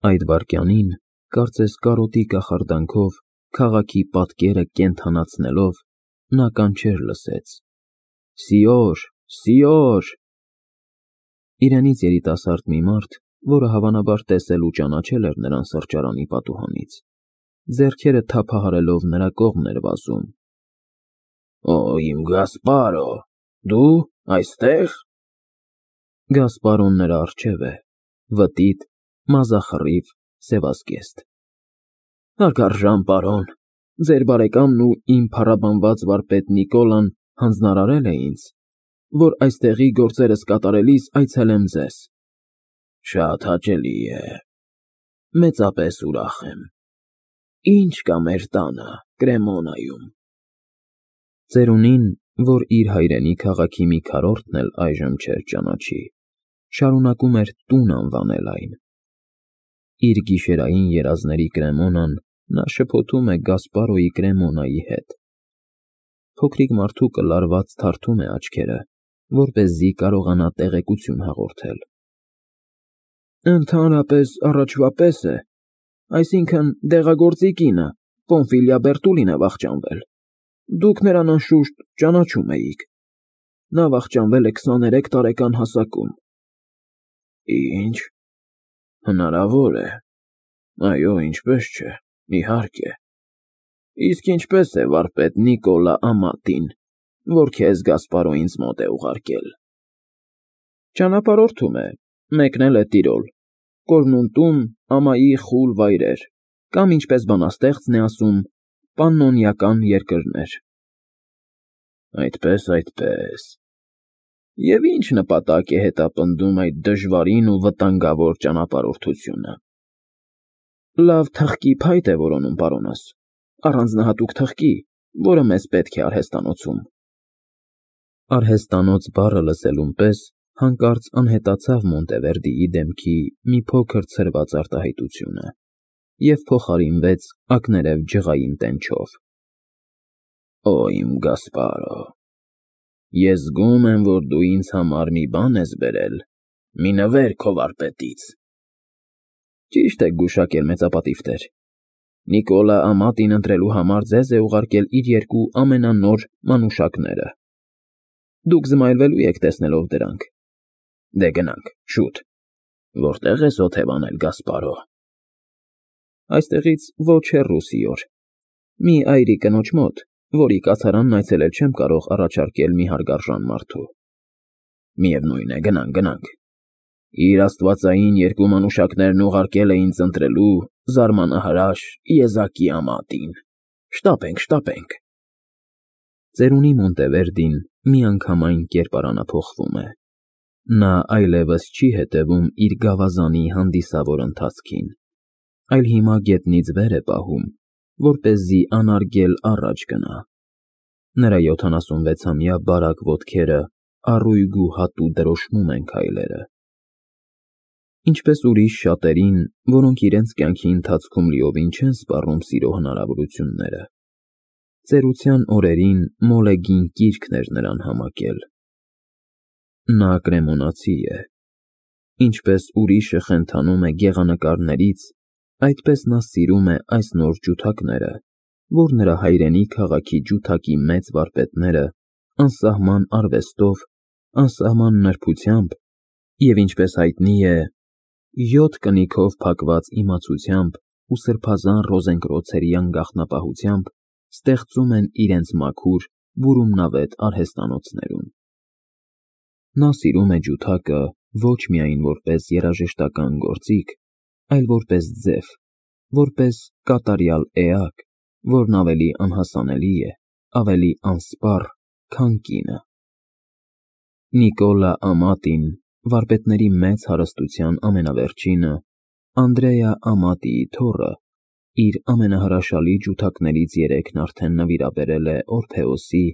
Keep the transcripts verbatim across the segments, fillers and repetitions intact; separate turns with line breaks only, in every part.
Այդ վայրկյանին, կարծես կարոտի կախարդանքով, քաղաքի պատկերը կենդանացնելով, նա կանչեր լսեց. «Սիոր, Սիոր»։ Իրենից երիտասարդ մի մարդ, որը հավանաբար տեսել ու ճանաչել էր նրան սրճարանի պատուհանից, ձեռքերը թափահարելով նրա կողմն էր վազում։ «Օ, իմ Գասպարո, դու այստե՞ղ»։ Գասպարոն նրա առջև է, վտիտ, մազախռիվ, սևազգեստ։ «Հարգարժան պարոն, ձեր բարեկամն ու իմ փառաբանված վարպետ Նիկոլան հանձնարարել է ինձ, որ այստեղի գործերս կատարելիս այցելեմ ձեզ»։ «Շատ հաճելի է, մեծապես ուրախ եմ։ Ի՞նչ կա մեր տանը, Կրեմոնայում»։ Ծերունին, որ իր հայրենի քաղաքի մի քառորդն էլ այժմ չէր ճանաչի, շարունակում էր տուն անվանել այն։ Իր գիշերային երազների կրեմոնան նա շփոթում է Գասպարոյի կրեմոնայի հետ։ Փոքրիկ մարդուկը լարված թարթում է աչքերը, որպեսզի կարողանա տեղեկություն հաղորդել։ «Ընդհանրապես առաջվա պես է, այսինքն դեղագործի կինը, Պոմֆիլիա Բերտուլին է վախճանվել, դուք նրան անշուշտ ճանաչում էիք։ Նա վախճանվել է քսաներեք տարեկան հասակում»։ «Ի՞նչ, հնարավոր է, այո, ինչպես չէ, իհարկե։ Իսկ ինչպե՞ս է վարպետ Նիկոլա Ամատին, որ քեզ Գասպարո ինձ մոտ է ուղարկել»։ «Ճանապարհորդում է, մեկնել է Տիրոլ, Կորնունտում ամայի խուլ վայրեր, կամ ինչպես բանաստեղծն է ասում, պաննոնիական երկրներ»։ «Այդպես, այդպես։ Եվ ի՞նչ նպատակ է հետապնդում այդ դժվարին ու վտանգավոր ճանապարհորդությունը»։ «Լավ թխկի փայտ է որոնում, պարոնս, առանձնահատուկ թխկի, որը մեզ պետք է արհեստանոցում»։ Արհեստանոց բառը լսելուն պես հանկարծ անհետացավ Մոնտևերդիի դեմքի մի փոքր ցրված արտահայտությունը և փոխարինվեց ակներև ջղային տենչով։ «Օ, իմ Գասպարո, ես զգում եմ, որ դու ինձ համար մի բան ես բերել, մի նվեր քո վարպետից»։ «Ճիշտ եք գուշակել, մեծապատիվ տեր։ Նիկոլա Ամատին ընտրելու համար ձեզ է ուղարկել իր երկու ամենանոր մանուշակները։ Դուք զմայլվելու եք տեսնելով դրանք։ Դե գնանք, շուտ։ Որտե՞ղ ես օթև անել, Գասպարո»։ «Այստեղից ոչ հեռու, Սիոր, մի այրի կնոջ մոտ, որի կացարանն այցելել չեմ կարող առաջարկել մի հարգարժան մարդու»։ «Միևնույն է, գնանք, գնանք։ Իր աստվածային երկու մանուշակներն ուղարկել է ինձ ընտրելու զարմանահրաշ եզակի Ամատին։ Շտապենք, շտապենք»։ Ծերունի Մոնտևերդին միանգամայն կերպարանափոխվում է։ Նա այլևս չի հետևում իր գավազանի հանդիսավոր ընթացքին, այլ հիմա գետնից վեր է պահում, որպեսզի անարգել առաջ գնա։ Նրա յոթանասունվեցամյա բարակ ոտքերը առույգ ու հատու դրոշմում են քայլերը։ Ինչպես ուրիշ շատերին, որոնք իրենց կյանքի ընթացքում լիովին չեն սպառնում սիրո հնարավորությունները, ծերության օրերին մոլեգին կիրքն էր նրան համակել։ Նա կրեմոնացի է։ Ինչպես ուրիշը խենթանում է գեղանկարներից, այդպես նա սիրում է այս նոր ջութակները, որ նրա հայրենի քաղաքի ջութակի մեծ վարպետները անսահման արվեստով, անսահման նրբությամբ և, ինչպես հայտնի է, յոթ կնիքով փակված իմացությամբ ու սրբազան ռոզենկրոցերի անգաղտնապահությամբ ստեղծում են իրենց մաքուր, բուրումնավետ արհեստանոցներում։ Նա սիրում է ջութակը ոչ միայն որպես երաժշտական գործիք, այլ որպես ձև, որպես կատարյալ էակ, որն ավելի անհասանելի է, ավելի անսպառ, քան կինը։ Նիկոլա Ամատին, վարպետների մեծ հարստության ամենավերջինը, Անդրեա Ամատիի թոռը, իր ամենահրաշալի ջութակներից երեքն արդեն նվիրաբերել է Օրփեոսի,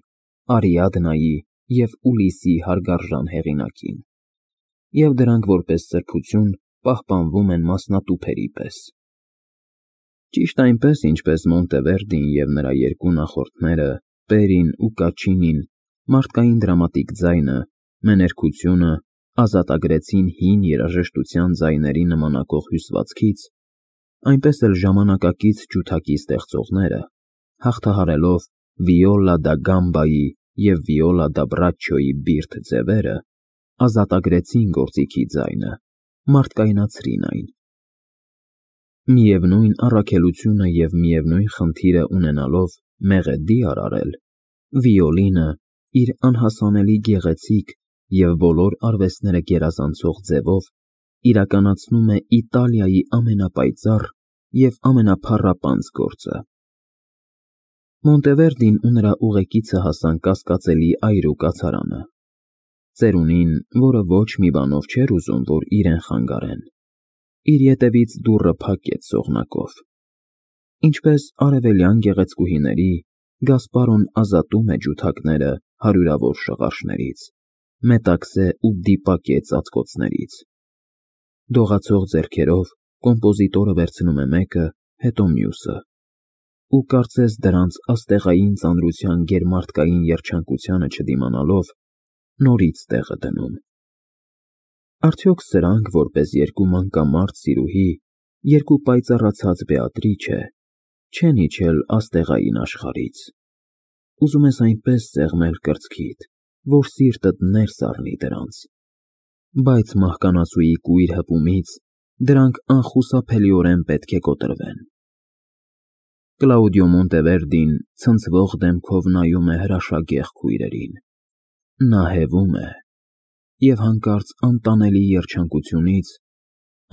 Արիադնայի և Ուլիսի հարգարժան հեղինակին, և դրանք որպես սրբություն պահպանվում են մասնատուփերի պես։ Ճիշտ այնպես, ինչպես Մոնտևերդին և նրա երկու նախորդները՝ Պերին ու Կաչինին, մարդկային դրամատիկ ձայնը, մեներքությունը ազատագրեցին հին երաժշտության ձայների նմանակող հյուսվածքից այնպես էլ ժամանակակից ջութակի ստեղծողները, հաղթահարելով Վիոլա դա Գամբայի և Վիոլա դա Բրաչչոյի բիրտ ձևերը, ազատագրեցին գործիքի ձայնը, մարդկայնացրին այն։ Միևնույն առաքելությունը և միևնույն խնդիրը ունենալով մեղեդի արարել, վիոլինը իր անհասանելի գեղեցիկ և բոլոր արվեստները գերազանցող ձևով իրականացնում է Իտալիայի ամենապայծառ և ամենափառապանծ գործը։ Մոնտևերդին ու նրա ուղեկիցը հասան կասկածելի այրու կացարանը, ծերունին, որը ոչ մի բանով չէր ուզում, որ իրեն խանգարեն, իր ետևից դուռը փակեց սողնակով։ Ինչպես արևելյան գեղեցկուհիների, Գասպարոն ազատում է ջութակները հարյուրավոր շղարշներից, մետաքսե ու դիպակե ծածկոցներից։ Դողացող ձեռքերով կոմպոզիտորը վերցնում է մեկը, հետո մյուսը, ու կարծես դրանց աստեղային ծանրության գերմարդկային երջանկությանը չդիմանալով, նորից տեղը դնում։ Արդյոք սրանք, որպես երկու մանկամարդ սիրուհի, երկու պայծառացած Բեատրիչե, չեն իջել աստեղային աշխարհից։ Ուզում ես այնպես սեղմել կրծքիդ, որ սիրտդ ներս առնի դրանց, բայց մահկանացուի կույր հպումից դրանք անխուսափելիորեն պետք է կոտրվեն։ Կլաուդիո Մոնտևերդին ցնցվող դեմքով նայում է հրաշագեղ քույրերին։ Նա հևում է և հանկարծ անտանելի երջանկությունից,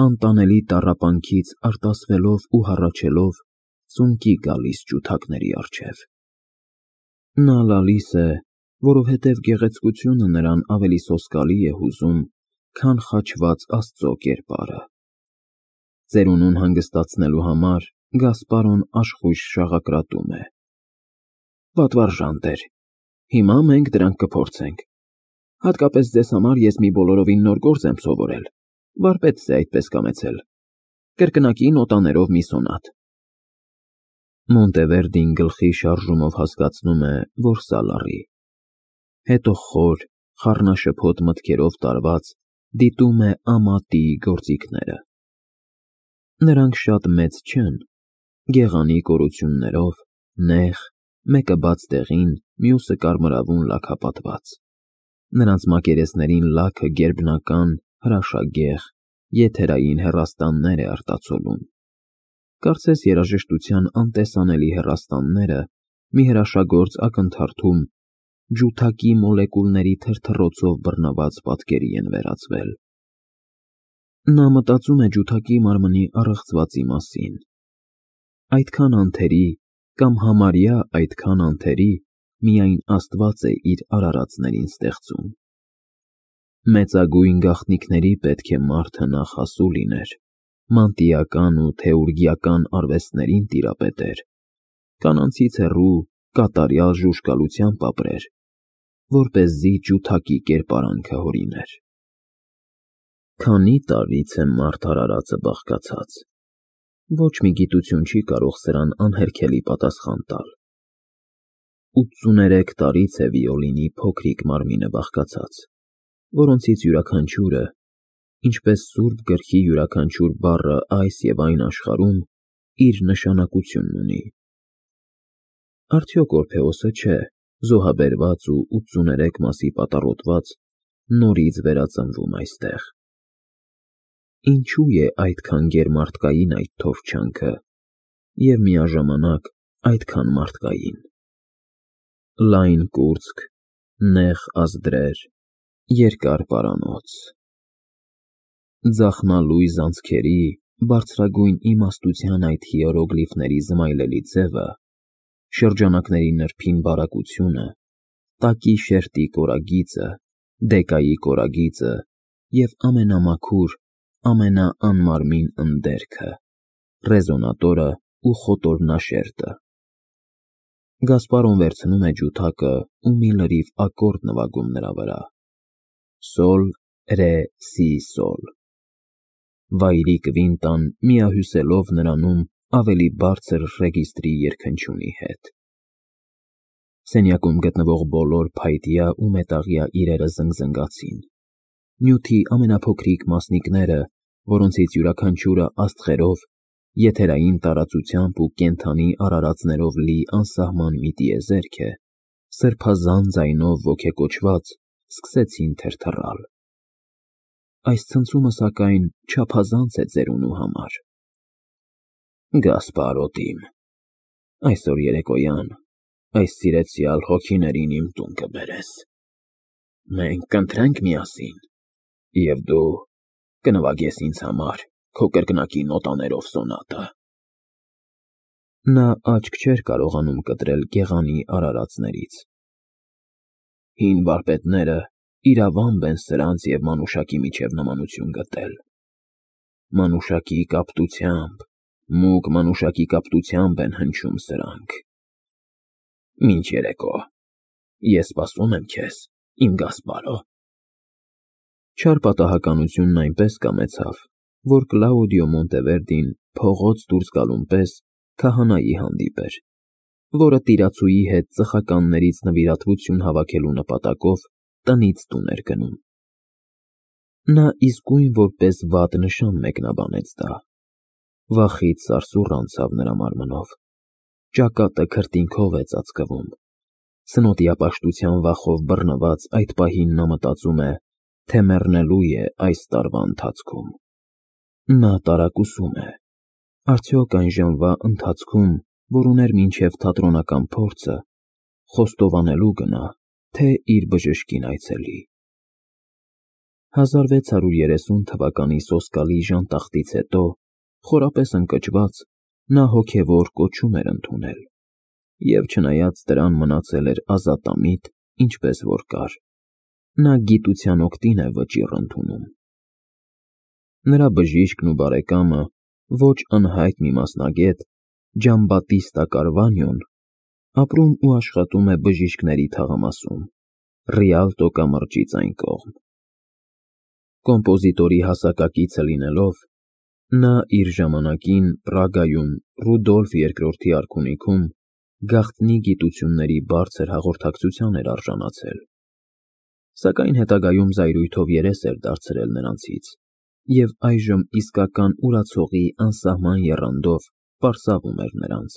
անտանելի տառապանքից արտասվելով ու հառաչելով ծունկի գալիս ջութակների առջև։ Նա լալիս է, որովհետև գեղեցկությունը նրան ավելի սոսկալի է հուզում, քան խաչված Աստծո կերպարը։ Ծերունուն հանգստացնելու համար Գասպարոն աշխույժ շաղակրատում է. Պատվարժան տեր, հիմա մենք դրանք կփորձենք։ Հատկապես ձեզ համար ես մի բոլորովին նոր գործ եմ սովորել, վարպետս է այդպես կամեցել, կրկնակի նոտաներով մի սոնատ։ Մոնտևերդին գլխի շարժումով հասկացնում է, որ սա լռի, հետո խոր, խառնաշփոթ մտքերով տարված դիտում է Ամատիի գործիքները։ Նրանք շատ մեծ չեն, գեղանի կորություններով, նեղ, մեկը բաց տեղին, մյուսը կարմրավուն լաքապատված։ Նրանց մակերեսներին լաքը գերբնական, հրաշագեղ, եթերային հեռաստաններ է արտացոլում։ Կարծես երաժշտության անտեսանելի հեռաստանները մի հրաշագործ ակնթարթում ջութակի մոլեկուլների թրթռոցով բռնված պատկերի են վերածվել։ Նա մտածում է ջութակի մարմնի առեղծվածի մասին։ Այդքան անթերի կամ համարյա այդքան անթերի միայն Աստված է իր արարածներին ստեղծում։ Մեծագույն գաղտնիքների պետք է մարդը նախ հասու լիներ, մանտիական ու թեուրգիական արվեստներին տիրապետեր, կանանցից հեռու կատարյալ ժուժկալությամբ ապրեր, որպեսզի ջութակի կերպարանքը հորիներ։ Քանի տարվից է մարդ արարածը բաղկացած։ Ոչ մի գիտություն չի կարող սրան անհերքելի պատասխան տալ։ ութսուներեք տարից է վիոլինի փոքրիկ մարմինը բաղկացած, որոնցից յուրաքանչյուրը, ինչպես սուրբ գրքի յուրաքանչյուր բառը այս և այն աշխարհում, իր նշանակությունն ունի։ Արդյոք Օրփեոսը չէ, զոհաբերված ու ութսուներեք մասի պատառոտված, նորից վերածնվում այստեղ։ Ինչու է այդքան գերմարդկային այդ թովչյանքը և միաժամանակ այդքան մարդկային։ Լայն կուրծք, նեղ ազդրեր, երկար պարանոց։ Ձախնալույզ անցքերի, բարձրագույն իմաստության այդ հիերոգլիֆների զմայլելի ձևը, շրջանակների նրբին բարակությունը, տակի շերտի կորագիծը, դեկայի կորագիծը և ամենամաքուր, ամենաանմարմին ընդերքը, ռեզոնատորը ու խոտորնաշերտը։ Գասպարոն վերցնում է ջութակը ու մի լրիվ ակորդ նվագում նրա վրա. Սոլ, ռե, սի, սոլ։ Վայրի կվինտան միահյուսելով նրանում ավելի բարձր ռեգիստրի երգնչյունի հետ։ Սենյակում գտնվող բոլոր փայտյա ու մետաղյա իրերը զնգզնգացին։ Նյութի ամենափոքրիկ մասնիկները, որոնցից յուրաքանչյուրը աստղերով եթերային տարածությամբ ու կենդանի արարածներով լի անսահման մի տիեզերք է, սրբազան ձայնով ոգեկոչված սկսեցին թրթռալ։ Այս ցնցումը, սակայն, չափազանց է ծերունու համար։ Գասպարոտիմ, այսօր երեկոյան այս սիրեցյալ հոգիներին իմ տուն կբերես։ Մենք կընթրենք միասին, և դու կնվագես ինձ համար քո կրկնակի նոտաներով սոնատը։ Նա աչք չէր կարողանում կտրել գեղանի արարածներից։ Հին վարպետները իրավամբ են սրանց և մանուշակի միջև նմանություն գտել։ Մանուշակի կապտությամբ, մուգ մանուշակի կապտությամբ են հնչում սրանք։ Մինչ երեկո, ես սպասում եմ քեզ, իմ Գասպարո։ Չար պատահականությունն այնպես կամեցավ, որ Կլաուդիո Մոնտևերդին փողոց դուրս գալուն պես քահանայի հանդիպեր, որը տիրացուի հետ ծխականներից նվիրատվություն հավաքելու նպատակով տնից տուն էր գնում։ Նա իսկույն որպես վատ նշան մեկնաբանեց դա։ Վախից սարսուռ անցավ նրա մարմնով, ճակատը քրտինքով է ծածկվում։ Սնոտիապաշտության վախով բռնված այդ պահին նա մտածում է, թե մեռնելու է այս տարվա ընթացքում։ Նա տարակուսում է. արդյոք այն ժամվա ընթացքում, որ ուներ մինչև թատրոնական փորձը, խոստովանելու գնա, թե իր բժշկին այցելի։ հազար վեց հարյուր երեսուն թվականի սոսկալի ժանտախտից հետո, խորապես ընկճված, նա հոգևոր կոչում էր ընդունել, և չնայած դրան մնացել էր ազատամիտ, ինչպես որ կար, նա գիտության օգտին է վճիռ ընդունում։ Նրա բժիշկն ու բարեկամը, ոչ անհայտ մի մասնագետ, Ջամբատիստա Կարվանյոն, ապրում ու աշխատում է բժիշկների թաղամասում, Ռիալտո կամրջից այն կողմ։ Կոմպոզիտորի հասակակիցը լինելով, նա իր ժամանակին Պրագայում Ռուդոլֆ երկրորդի արքունիքում գաղտնի գիտությունների բարձր հաղորդակցության էր արժանացել, սակայն հետագայում զայրույթով երես էր դարձրել նրանցից և այժմ իսկական ուրացողի անսահման եռանդով պարսավում էր նրանց։